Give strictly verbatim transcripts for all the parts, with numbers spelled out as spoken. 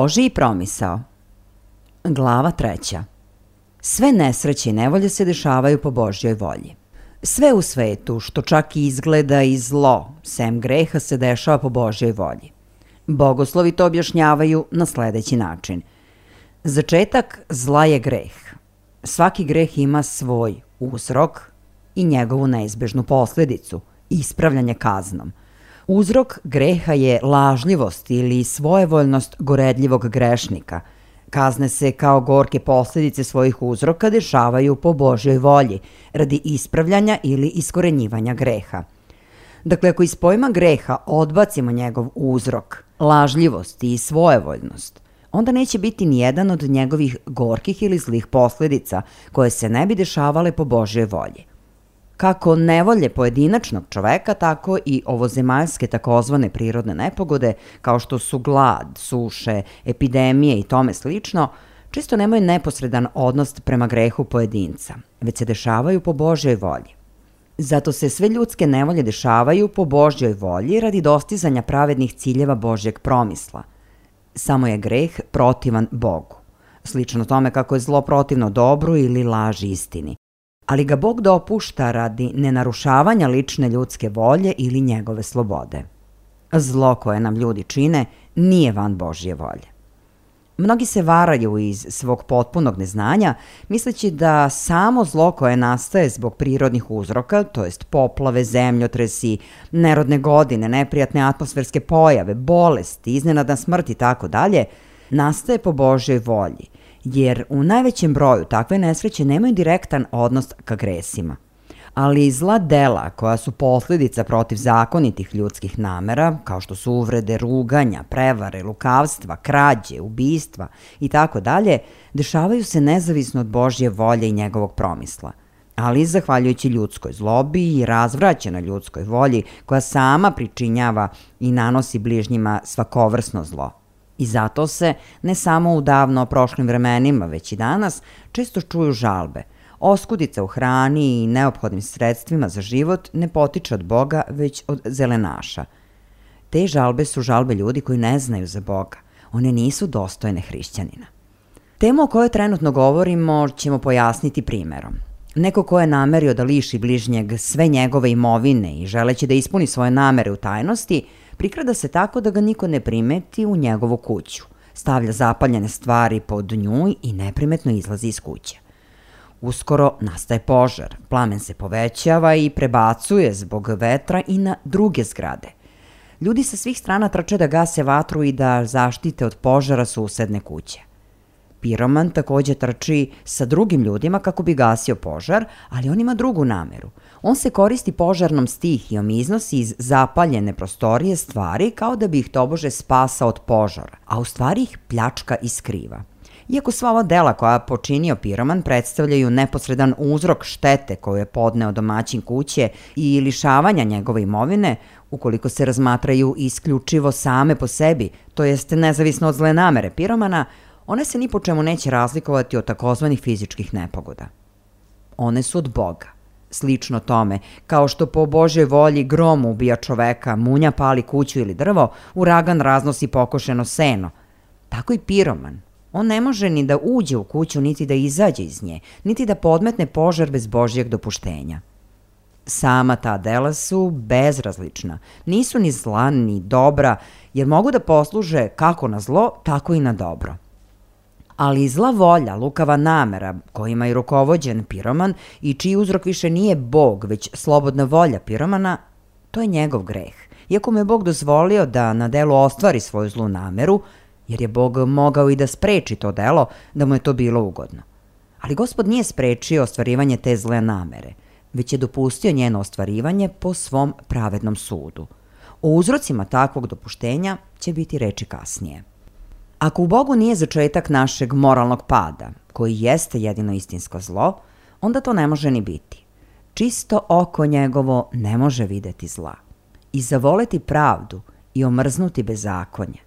Božji promisao. Glava treća. Sve nesreće i nevolje se dešavaju po Božjoj volji. Sve u svetu, što čak i izgleda i zlo, sem greha, se dešava po Božjoj volji. Bogoslovi to objašnjavaju na sledeći način. Začetak zla je greh. Svaki greh ima svoj uzrok i njegovu neizbežnu posledicu, ispravljanje kaznom. Uzrok greha je lažljivost ili svojevoljnost goredljivog grešnika. Kazne se kao gorke posledice svojih uzroka dešavaju po Božjoj volji, radi ispravljanja ili iskorenjivanja greha. Dakle, ako iz pojma greha odbacimo njegov uzrok, lažljivost i svojevoljnost, onda neće biti ni jedan od njegovih gorkih ili zlih posljedica koje se ne bi dešavale po Božjoj volji. Kako nevolje pojedinačnog čoveka, tako i ovozemaljske takozvane prirodne nepogode, kao što su glad, suše, epidemije i tome slično, često nemaju neposredan odnos prema grehu pojedinca, već se dešavaju po Božjoj volji. Zato se sve ljudske nevolje dešavaju po Božjoj volji radi dostizanja pravednih ciljeva Božjeg promisla. Samo je greh protivan Bogu, slično tome kako je zlo protivno dobru ili laži istini, ali ga Bog dopušta radi nenarušavanja lične ljudske volje ili njegove slobode. Zlo koje nam ljudi čine nije van Božje volje. Mnogi se varaju iz svog potpunog neznanja, misleći da samo zlo koje nastaje zbog prirodnih uzroka, to jest poplave, zemljotresi, nerodne godine, neprijatne atmosferske pojave, bolesti, iznenadna smrt i tako dalje, nastaje po Božjoj volji, jer u najvećem broju takve nesreće nemaju direktan odnos ka gresima. Ali i zla dela koja su posljedica protivzakonitih ljudskih namera, kao što su uvrede, ruganja, prevare, lukavstva, krađe, ubistva i tako dalje, dešavaju se nezavisno od Božje volje i njegovog promisla, ali zahvaljujući ljudskoj zlobi i razvraćenoj ljudskoj volji koja sama pričinjava i nanosi bližnjima svakovrsno zlo. I zato se, ne samo u davno prošlim vremenima, već i danas, često čuju žalbe. Oskudica u hrani i neophodnim sredstvima za život ne potiče od Boga, već od zelenaša. Te žalbe su žalbe ljudi koji ne znaju za Boga. One nisu dostojne hrišćanina. Temu o kojoj trenutno govorimo ćemo pojasniti primerom. Neko ko je namerio da liši bližnjeg sve njegove imovine i želeći da ispuni svoje namere u tajnosti, prikrada se tako da ga niko ne primeti u njegovu kuću. Stavlja zapaljene stvari pod nju i neprimetno izlazi iz kuće. Uskoro nastaje požar, plamen se povećava i prebacuje zbog vetra i na druge zgrade. Ljudi sa svih strana trče da gase vatru i da zaštite od požara susedne kuće. Piroman takođe trči sa drugim ljudima kako bi gasio požar, ali on ima drugu nameru. On se koristi požarnom stihijom i iznosi iz zapaljene prostorije stvari kao da bi ih tobože spasao od požara, a u stvari ih pljačka i skriva. Iako sva ova dela koja počinio piroman predstavljaju neposredan uzrok štete koju je podneo domaćin kuće i lišavanja njegove imovine, ukoliko se razmatraju isključivo same po sebi, to jest nezavisno od zle namere piromana, one se ni po čemu neće razlikovati od takozvanih fizičkih nepogoda. One su od Boga. Slično tome, kao što po Božjoj volji grom ubija čoveka, munja pali kuću ili drvo, uragan raznosi pokošeno seno, tako i piroman. On ne može ni da uđe u kuću, niti da izađe iz nje, niti da podmetne požar bez Božjeg dopuštenja. Sama ta dela su bezrazlična, nisu ni zla ni dobra, jer mogu da posluže kako na zlo, tako i na dobro. Ali zla volja, lukava namera kojima je rukovođen piroman i čiji uzrok više nije Bog, već slobodna volja piromana, to je njegov greh. Iako mu je Bog dozvolio da na delu ostvari svoju zlu nameru, jer je Bog mogao i da spreči to delo, da mu je to bilo ugodno. Ali Gospod nije sprečio ostvarivanje te zle namere, već je dopustio njeno ostvarivanje po svom pravednom sudu. O uzrocima takvog dopuštenja će biti reči kasnije. Ako u Bogu nije začetak našeg moralnog pada, koji jeste jedino istinsko zlo, onda to ne može ni biti. Čisto oko njegovo ne može videti zla. I zavoleti pravdu i omrznuti bezakonje.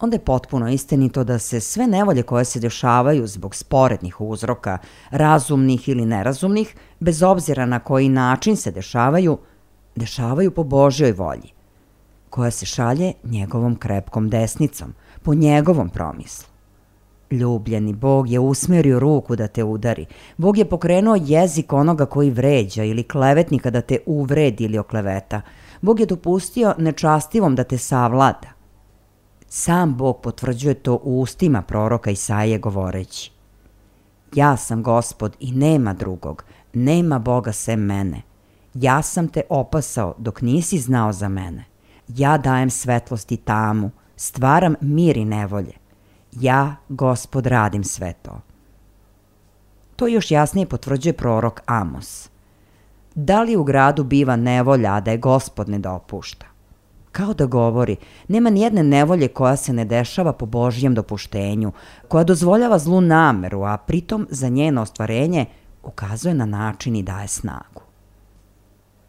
Onda je potpuno istinito da se sve nevolje koje se dešavaju zbog sporednih uzroka, razumnih ili nerazumnih, bez obzira na koji način se dešavaju, dešavaju po Božjoj volji, koja se šalje njegovom krepkom desnicom, po njegovom promislu. Ljubljeni Bog je usmerio ruku da te udari. Bog je pokrenuo jezik onoga koji vređa ili klevetnika da te uvredi ili okleveta. Bog je dopustio nečastivom da te savlada. Sam Bog potvrđuje to u ustima proroka Isaije govoreći: Ja sam Gospod i nema drugog, nema Boga sem mene. Ja sam te opasao dok nisi znao za mene. Ja dajem svetlost i tamu, stvaram mir i nevolje. Ja, Gospod, radim sve to. To još jasnije potvrđuje prorok Amos. Da li u gradu biva nevolja, a da je Gospod ne dopušta? Kao da govori, nema nijedne nevolje koja se ne dešava po Božjem dopuštenju, koja dozvoljava zlu nameru, a pritom za njeno ostvarenje ukazuje na način i daje snagu.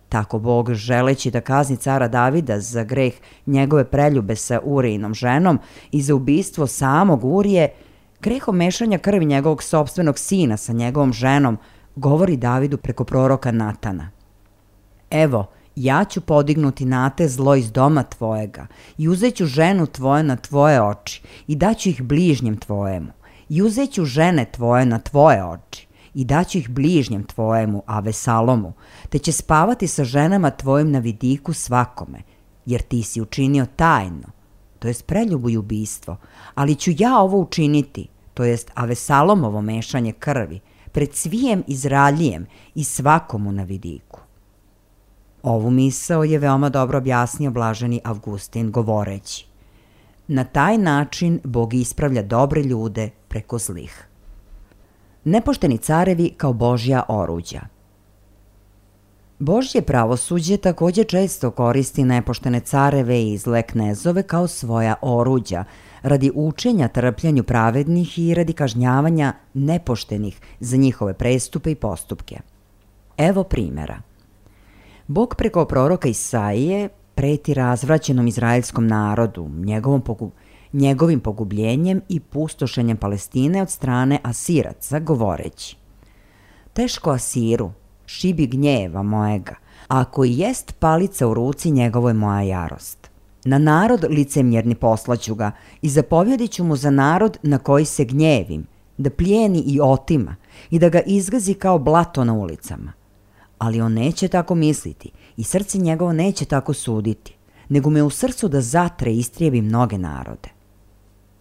Tako Bog, želeći da kazni cara Davida za greh njegove preljube sa Urijinom ženom i za ubistvo samog Urije, grehom mešanja krvi njegovog sopstvenog sina sa njegovom ženom, govori Davidu preko proroka Natana. Evo, ja ću podignuti na te zlo iz doma tvojega i uzeću ženu tvoje na tvoje oči i daću ih bližnjem tvojemu i uzeću žene tvoje na tvoje oči i daću ih bližnjem tvojemu, Avesalomu, te će spavati sa ženama tvojim na vidiku svakome, jer ti si učinio tajno, to jest preljubu i ubistvo, ali ću ja ovo učiniti, to jest Avesalomovo mešanje krvi, pred svijem Izraelijem i svakomu na vidiku. Ovu misao je veoma dobro objasnio blaženi Avgustin govoreći: na taj način Bog ispravlja dobre ljude preko zlih. Nepošteni carevi kao Božja oruđa. Božje pravosuđe takođe često koristi nepoštene careve i zle knezove kao svoja oruđa, radi učenja trpljanju pravednih i radi kažnjavanja nepoštenih za njihove prestupe i postupke. Evo primjera. Bog preko proroka Isaije preti razvraćenom izraelskom narodu, njegovom pogu, njegovim pogubljenjem i pustošenjem Palestine od strane Asiraca, govoreći: teško Asiru, šibi gnjeva mojega, ako i jest palica u ruci njegovo je moja jarost. Na narod licemjerni poslaću ga i zapovjedit ću mu za narod na koji se gnjevim, da plijeni i otima i da ga izgazi kao blato na ulicama. Ali on neće tako misliti i srce njegovo neće tako suditi, nego me u srcu da zatre i istrijebi mnoge narode.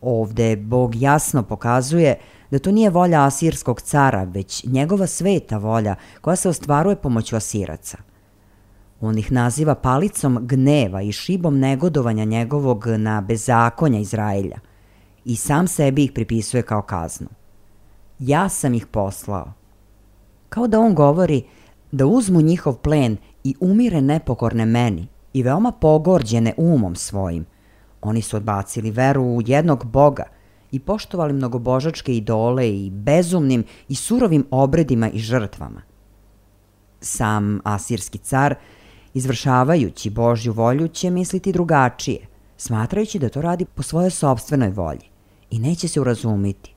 Ovde Bog jasno pokazuje da to nije volja asirskog cara, već njegova sveta volja koja se ostvaruje pomoću Asiraca. On ih naziva palicom gneva i šibom negodovanja njegovog na bezakonja Izraelja i sam sebi ih pripisuje kao kaznu. Ja sam ih poslao. Kao da on govori da uzmu njihov plen i umire nepokorne meni i veoma pogorđene umom svojim. Oni su odbacili veru u jednog Boga i poštovali mnogobožačke idole i bezumnim i surovim obredima i žrtvama. Sam asirski car, izvršavajući Božju volju, će misliti drugačije, smatrajući da to radi po svojoj sopstvenoj volji i neće se urazumiti,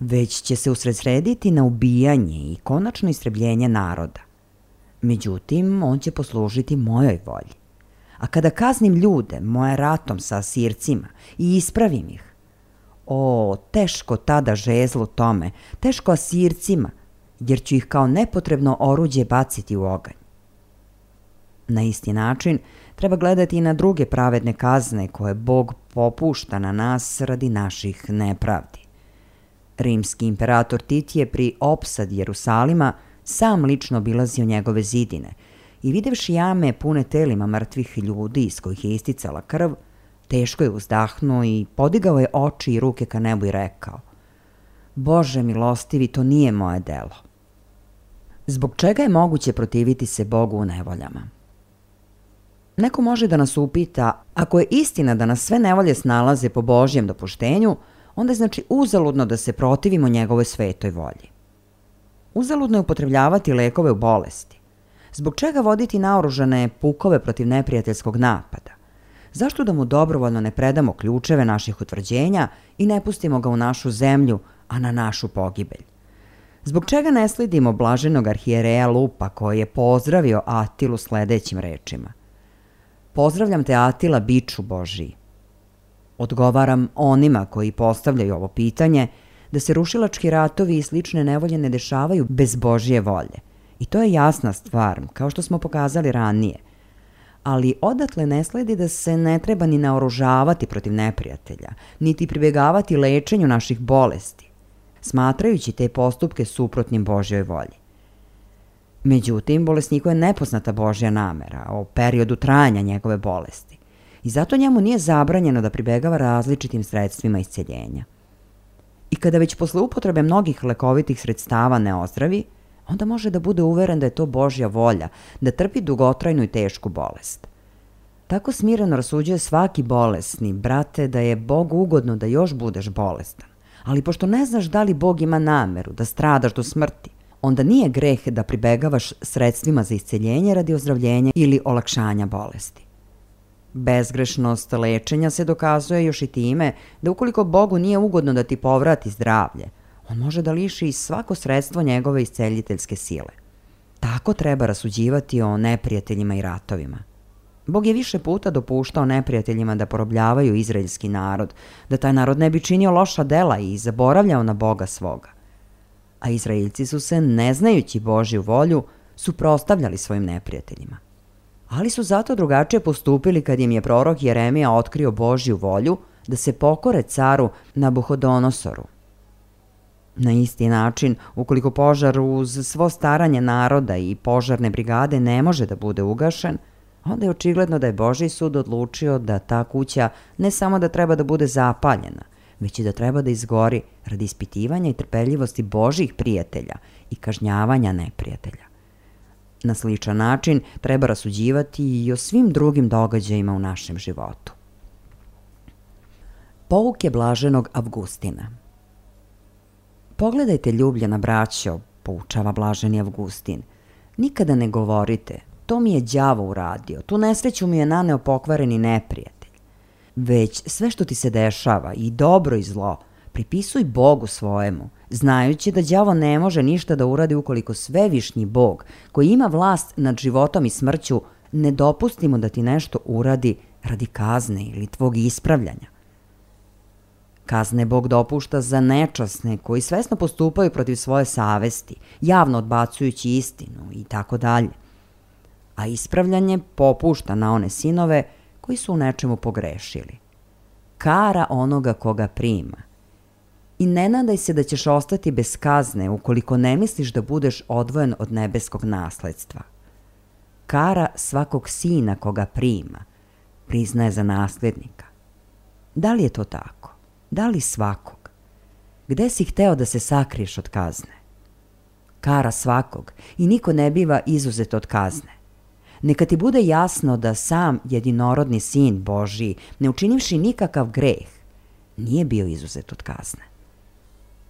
već će se usredsrediti na ubijanje i konačno istrebljenje naroda. Međutim, on će poslužiti mojoj volji. A kada kaznim ljude moje ratom sa Asircima i ispravim ih, o, teško tada žezlu tome, teško Asircima, jer ću ih kao nepotrebno oruđe baciti u oganj. Na isti način treba gledati i na druge pravedne kazne koje Bog popušta na nas radi naših nepravdi. Rimski imperator Tit je pri opsadi Jerusalima sam lično obilazio njegove zidine i videvši jame pune telima mrtvih ljudi iz kojih je isticala krv, teško je uzdahnuo i podigao je oči i ruke ka nebu i rekao: Bože milostivi, to nije moje delo. Zbog čega je moguće protiviti se Bogu u nevoljama? Neko može da nas upita, ako je istina da nas sve nevolje snalaze po Božjem dopuštenju, onda je znači uzaludno da se protivimo njegovoj svetoj volji. Uzaludno je upotrebljavati lekove u bolesti. Zbog čega voditi naoružane pukove protiv neprijateljskog napada? Zašto da mu dobrovoljno ne predamo ključeve naših utvrđenja i ne pustimo ga u našu zemlju, a na našu pogibelj? Zbog čega ne sledimo blaženog arhijereja Lupa koji je pozdravio Atilu sledećim rečima: Pozdravljam te, Atila, biču Božiji. Odgovaram onima koji postavljaju ovo pitanje da se rušilački ratovi i slične nevolje ne dešavaju bez Božje volje. I to je jasna stvar, kao što smo pokazali ranije. Ali odatle ne sledi da se ne treba ni naoružavati protiv neprijatelja, niti pribjegavati lečenju naših bolesti, smatrajući te postupke suprotnim Božjoj volji. Međutim, bolesniku je nepoznata Božja namera o periodu trajanja njegove bolesti i zato njemu nije zabranjeno da pribjegava različitim sredstvima isceljenja. I kada već posle upotrebe mnogih lekovitih sredstava ne ozdravi, onda može da bude uveren da je to Božja volja, da trpi dugotrajnu i tešku bolest. Tako smireno rasuđuje svaki bolesni, brate, da je Bogu ugodno da još budeš bolestan. Ali pošto ne znaš da li Bog ima nameru da stradaš do smrti, onda nije greh da pribegavaš sredstvima za isceljenje radi ozdravljenja ili olakšanja bolesti. Bezgrešnost lečenja se dokazuje još i time da ukoliko Bogu nije ugodno da ti povrati zdravlje, on može da liši i svako sredstvo njegove isceljiteljske sile. Tako treba rasuđivati o neprijateljima i ratovima. Bog je više puta dopuštao neprijateljima da porobljavaju izraelski narod, da taj narod ne bi činio loša dela i zaboravljao na Boga svoga. A Izraeljci su se, ne znajući Božju volju, suprotstavljali svojim neprijateljima. Ali su zato drugačije postupili kad im je prorok Jeremija otkrio Božju volju da se pokore caru Nabuhodonosoru. Na isti način, ukoliko požar uz svo staranje naroda i požarne brigade ne može da bude ugašen, onda je očigledno da je Božji sud odlučio da ta kuća ne samo da treba da bude zapaljena, već i da treba da izgori radi ispitivanja i trpeljivosti Božjih prijatelja i kažnjavanja neprijatelja. Na sličan način treba rasuđivati i o svim drugim događajima u našem životu. Pouke blaženog Avgustina. Pogledajte, ljubljena braćo, poučava blaženi Avgustin, nikada ne govorite, to mi je đavo uradio, tu nesreću mi je naneo pokvareni neprijatelj. Već sve što ti se dešava, i dobro i zlo, pripisuj Bogu svojemu, znajući da đavo ne može ništa da uradi ukoliko svevišnji Bog, koji ima vlast nad životom i smrću, ne dopusti mu da ti nešto uradi radi kazne ili tvog ispravljanja. Kazne Bog dopušta za nečasne koji svesno postupaju protiv svoje savesti, javno odbacujući istinu i tako dalje. A ispravljanje popušta na one sinove koji su u nečemu pogrešili. Kara onoga koga prima. I ne nadaj se da ćeš ostati bez kazne ukoliko ne misliš da budeš odvojen od nebeskog nasledstva. Kara svakog sina koga prima, priznaje za nasljednika. Da li je to tako? Da li svakog? Gde si hteo da se sakriješ od kazne? Kara svakog i niko ne biva izuzet od kazne. Neka ti bude jasno da sam jedinorodni sin Božji, ne učinivši nikakav greh, nije bio izuzet od kazne.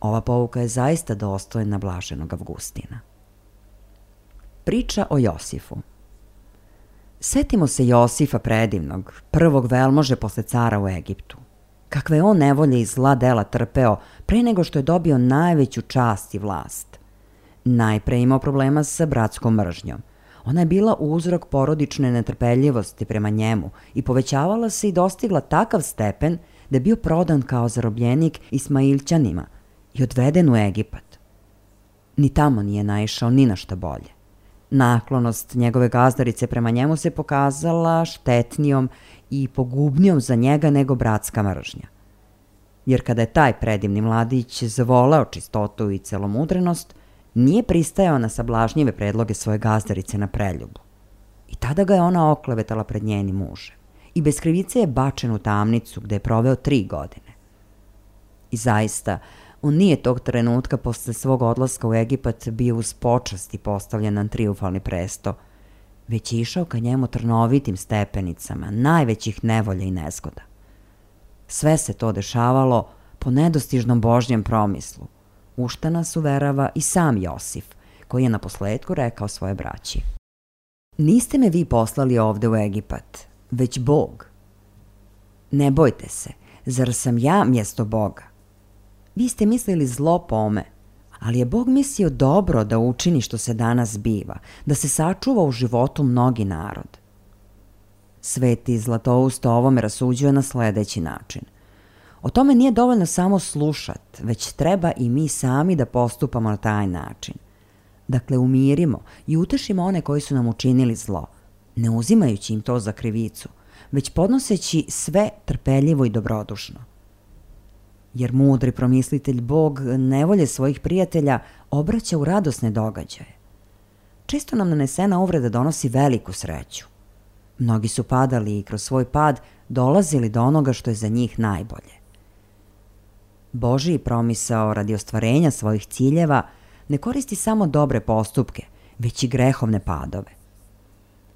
Ova pouka je zaista dostojna blaženog Avgustina. Priča o Josifu. Setimo se Josifa predivnog, prvog velmože posle cara u Egiptu. Kakve je on nevolje i zla dela trpeo pre nego što je dobio najveću čast i vlast. Najpre imao problema sa bratskom mržnjom. Ona je bila uzrok porodične netrpeljivosti prema njemu i povećavala se i dostigla takav stepen da je bio prodan kao zarobljenik Ismailćanima i odveden u Egipat. Ni tamo nije naišao ni na šta bolje. Naklonost njegove gazdarice prema njemu se pokazala štetnijom i pogubnijom za njega nego bratska mržnja. Jer kada je taj predivni mladić zavoleo čistotu i celomudrenost, nije pristajao na sablažnjive predloge svoje gazdarice na preljubu. I tada ga je ona oklevetala pred njenim mužem. I bez krivice je bačen u tamnicu gde je proveo tri godine. I zaista, on nije tog trenutka posle svog odlaska u Egipat bio uz počast i postavljen na trijumfalni presto, već je išao ka njemu trnovitim stepenicama, najvećih nevolja i nezgoda. Sve se to dešavalo po nedostižnom Božjem promislu, u šta nas uverava i sam Josif, koji je na posledku rekao svoje braći. Niste me vi poslali ovde u Egipat, već Bog. Ne bojte se, zar sam ja mjesto Boga? Vi ste mislili zlo pome, ali je Bog mislio dobro da učini što se danas biva, da se sačuva u životu mnogi narod. Sveti Zlatousto ovome rasuđuje na sledeći način. O tome nije dovoljno samo slušat, već treba i mi sami da postupamo na taj način. Dakle, umirimo i utešimo one koji su nam učinili zlo, ne uzimajući im to za krivicu, već podnoseći sve trpeljivo i dobrodušno. Jer mudri promislitelj Bog nevolje svojih prijatelja obraća u radosne događaje. Često nam nanesena uvreda donosi veliku sreću. Mnogi su padali i kroz svoj pad dolazili do onoga što je za njih najbolje. Božji promisao radi ostvarenja svojih ciljeva ne koristi samo dobre postupke, već i grehovne padove.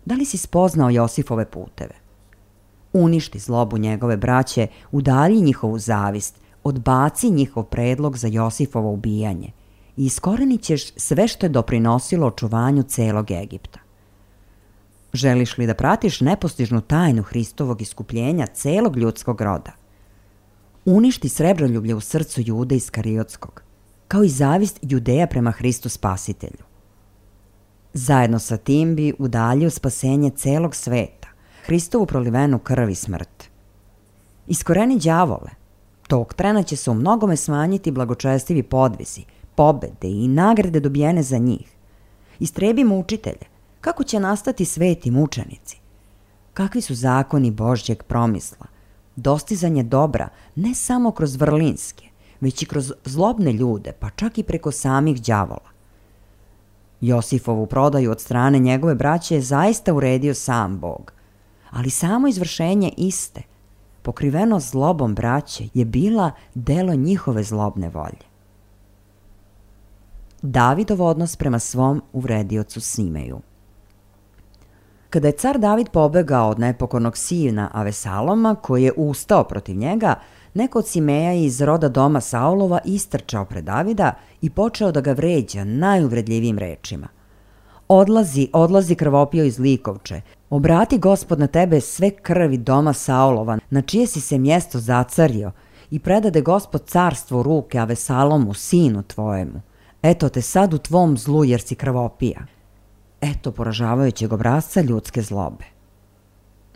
Da li si spoznao Josifove puteve? Uništi zlobu njegove braće, udalji njihovu zavist, odbaci njihov predlog za Josifovo ubijanje i iskorenit ćeš sve što je doprinosilo očuvanju celog Egipta. Želiš li da pratiš nepostižnu tajnu Hristovog iskupljenja celog ljudskog roda? Uništi srebroljublje u srcu Jude Iskariotskog, kao i zavist Judeja prema Hristu Spasitelju. Zajedno sa tim bi udaljio spasenje celog sveta, Hristovu prolivenu krv i smrt. Iskoreni đavole. Tog trena će se u mnogome smanjiti blagočestivi podvisi, pobede i nagrade dobijene za njih. Istrebi mučitelje. Kako će nastati sveti mučenici? Kakvi su zakoni Božjeg promisla? Dostizanje dobra ne samo kroz vrlinske, već i kroz zlobne ljude, pa čak i preko samih đavola. Josifovu prodaju od strane njegove braće je zaista uredio sam Bog, ali samo izvršenje iste, pokriveno zlobom braće, je bila delo njihove zlobne volje. Davidov odnos prema svom uvrediocu Simeju. Kada je car David pobegao od nepokornog sina Avesaloma, koji je ustao protiv njega, neko od Simeja iz roda doma Saulova istrčao pred Davida i počeo da ga vređa najuvredljivijim rečima. Odlazi, odlazi krvopio iz likovče, obrati Gospod na tebe sve krvi doma Saulova, na čije si se mjesto zacario, i predade Gospod carstvo u ruke Avesalomu, sinu tvojemu. Eto te sad u tvom zlu jer si krvopija. Eto poražavajućeg obrazca ljudske zlobe.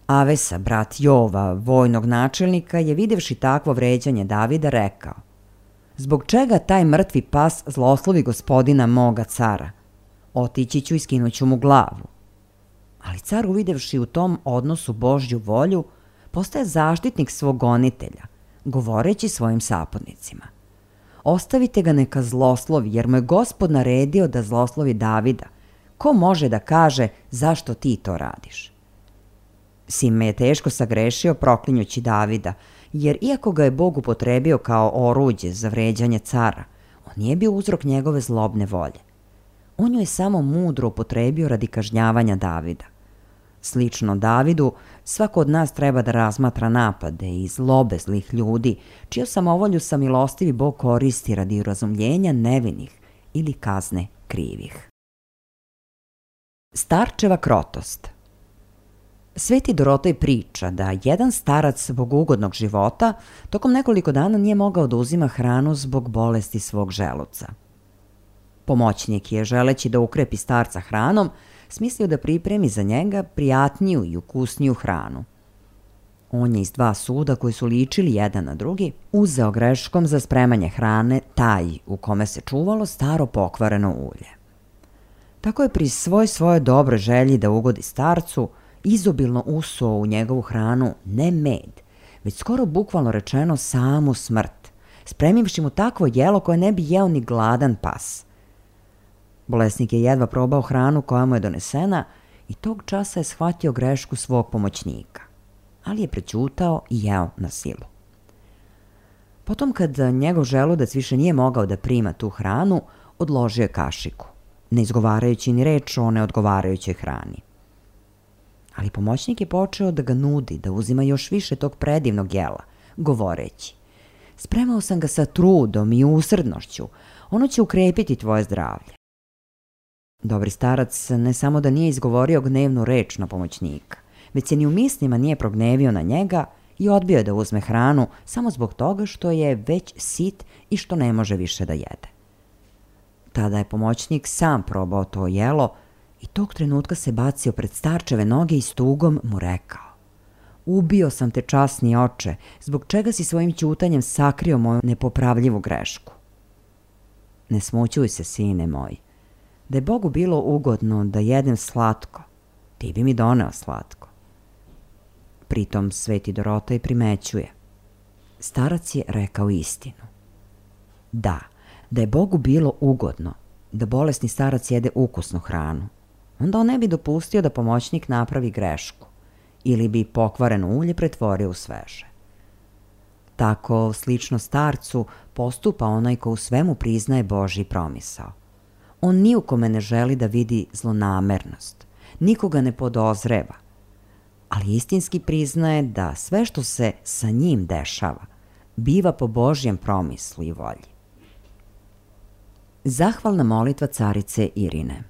Avesa, brat Jova, vojnog načelnika, je videvši takvo vređanje Davida rekao: zbog čega taj mrtvi pas zloslovi gospodina moga cara? Otići ću i skinuću mu glavu. Ali car, uvidevši u tom odnosu Božju volju, postaje zaštitnik svog gonitelja, govoreći svojim saputnicima: ostavite ga neka zloslovi, jer mu je Gospod naredio da zloslovi Davida. Ko može da kaže zašto ti to radiš? Sime je teško sagrešio proklinjući Davida, jer iako ga je Bog upotrebio kao oruđe za vređanje cara, on nije bio uzrok njegove zlobne volje. On ju je samo mudro upotrebio radi kažnjavanja Davida. Slično Davidu, svako od nas treba da razmatra napade i zlobe zlih ljudi, čiju samovolju samilostivi Bog koristi radi razumljenja nevinih ili kazne krivih. Starčeva krotost. Sveti Dorotej priča da jedan starac bogougodnog života tokom nekoliko dana nije mogao da uzima hranu zbog bolesti svog želuca. Pomoćnik je, želeći da ukrepi starca hranom, smislio da pripremi za njega prijatniju i ukusniju hranu. On je iz dva suda koji su ličili jedan na drugi uzeo greškom za spremanje hrane taj u kome se čuvalo staro pokvareno ulje. Tako je pri svoj svoje dobroj želji da ugodi starcu izobilno usuo u njegovu hranu ne med, već skoro bukvalno rečeno samu smrt, spremivši mu takvo jelo koje ne bi jeo ni gladan pas. Bolesnik je jedva probao hranu koja mu je donesena i tog časa je shvatio grešku svog pomoćnika, ali je prećutao i jeo na silu. Potom, kad njegov želudac više nije mogao da prima tu hranu, odložio je kašiku, ne izgovarajući ni reč o neodgovarajućoj hrani. Ali pomoćnik je počeo da ga nudi da uzima još više tog predivnog jela, govoreći: spremao sam ga sa trudom i usrdnošću, ono će ukrepiti tvoje zdravlje. Dobri starac ne samo da nije izgovorio gnevnu reč na pomoćnika, već se ni u mislima nije prognevio na njega i odbio je da uzme hranu samo zbog toga što je već sit i što ne može više da jede. Tada je pomoćnik sam probao to jelo i tog trenutka se bacio pred starčeve noge i s tugom mu rekao: ubio sam te, časni oče, zbog čega si svojim ćutanjem sakrio moju nepopravljivu grešku. Ne smućuj se, sine moj. Da je Bogu bilo ugodno da jedem slatko, ti bi mi doneo slatko. Pritom sveti Dorotej primećuje: starac je rekao istinu. Da, da je Bogu bilo ugodno da bolesni starac jede ukusnu hranu, onda on ne bi dopustio da pomoćnik napravi grešku ili bi pokvareno ulje pretvorio u sveže. Tako, slično starcu, postupa onaj ko u svemu priznaje Božji promisao. On ni u kome ne želi da vidi zlonamernost, nikoga ne podozreva, ali istinski priznaje da sve što se sa njim dešava biva po Božjem promislu i volji. Zahvalna molitva carice Irine.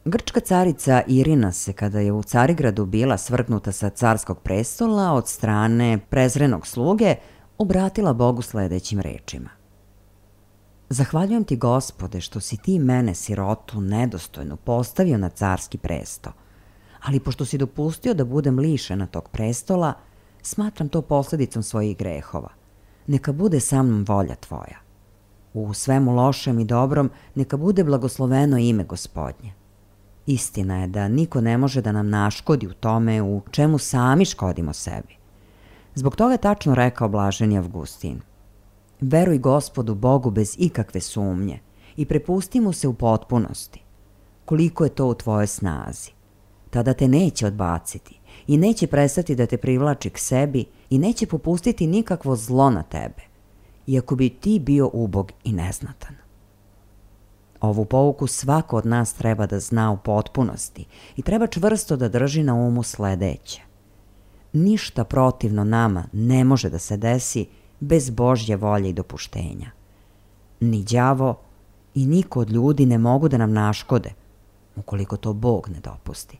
Grčka carica Irina se, kada je u Carigradu bila svrgnuta sa carskog prestola od strane prezrenog sluge, obratila Bogu sledećim rečima. Zahvaljujem ti, Gospode, što si ti mene, sirotu, nedostojnu, postavio na carski presto, ali pošto si dopustio da budem lišena tog prestola, smatram to posledicom svojih grehova. Neka bude sa mnom volja tvoja. U svemu lošem i dobrom neka bude blagosloveno ime Gospodnje. Istina je da niko ne može da nam naškodi u tome u čemu sami škodimo sebi. Zbog toga je tačno rekao blaženi Avgustin: veruj Gospodu Bogu bez ikakve sumnje i prepusti mu se u potpunosti. Koliko je to u tvojoj snazi, tada te neće odbaciti i neće prestati da te privlači k sebi i neće popustiti nikakvo zlo na tebe, iako bi ti bio ubog i neznatan. Ovu pouku svako od nas treba da zna u potpunosti i treba čvrsto da drži na umu sledeće. Ništa protivno nama ne može da se desi bez Božje volje i dopuštenja. Ni đavo i niko od ljudi ne mogu da nam naškode, ukoliko to Bog ne dopusti.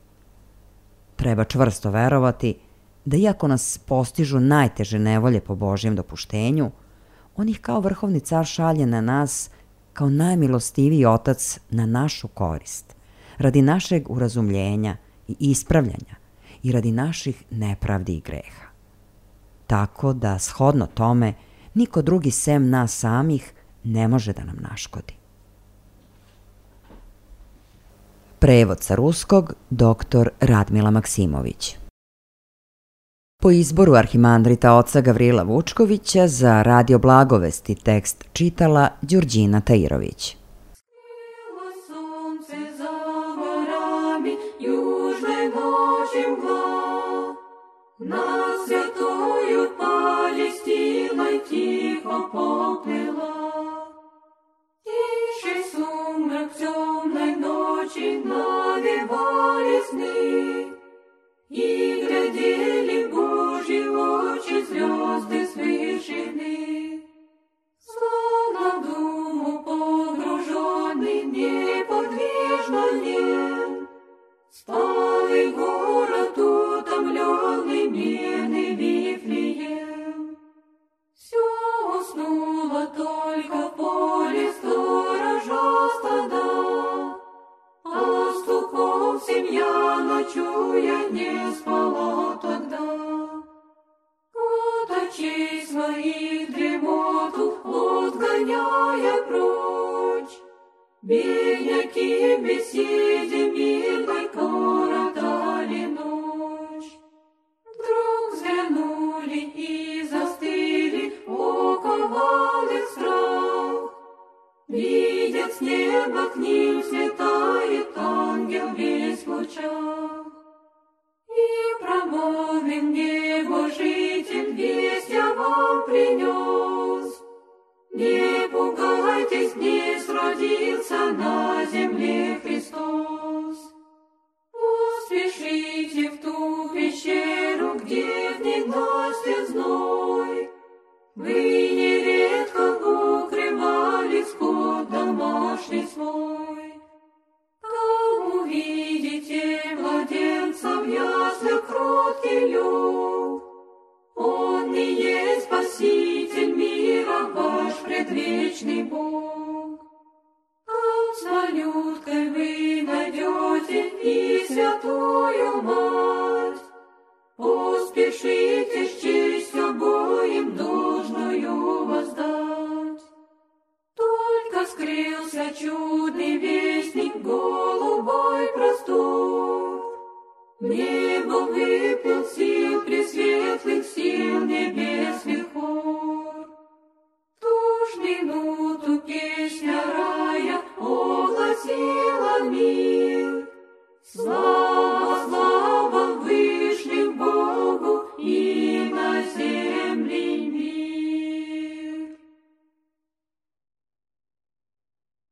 Treba čvrsto verovati da iako nas postižu najteže nevolje po Božjem dopuštenju, on ih kao vrhovni car šalje na nas kao najmilostiviji otac na našu korist, radi našeg urazumljenja i ispravljanja i radi naših nepravdi i greha. Tako da, shodno tome, niko drugi sem nas samih ne može da nam naškodi. Prevod sa ruskog, doktor Radmila Maksimović. Po izboru arhimandrita oca Gavrila Vučkovića za Radio Blagovesti tekst čitala Đurđina Tajirović. И глядели Божьи очи звезды с вышины, словно в думу погруженный неподвижно нем, спал и город утомленный мирный Вифлеем. Все уснуло только в поле сторожа стада, пастухов семья, ночуя, не спала тогда. От очей своих дремоту отгоняя прочь, бедняки в беседе милой коротали ночь. Вдруг взглянули и застыли, оковал их страх. Видят с неба, к ним слетает ангел весь в лучах. И промолвим небожитель, весть я вам принес. Не пугайтесь, днесь родился на земле Христос. Поспешите в ту пещеру, где в ненастье зной. Вы нередко укрывали скот домашний свой. Там увидите младенца в яслях кроткий лег. Он и есть Спаситель мира, ваш предвечный Бог. Там с малюткой вы найдете и святую Мать. Поспешите с честью обоим должную воздать. Только скрылся чудный вестник, голубой простор. В небо выплыл сил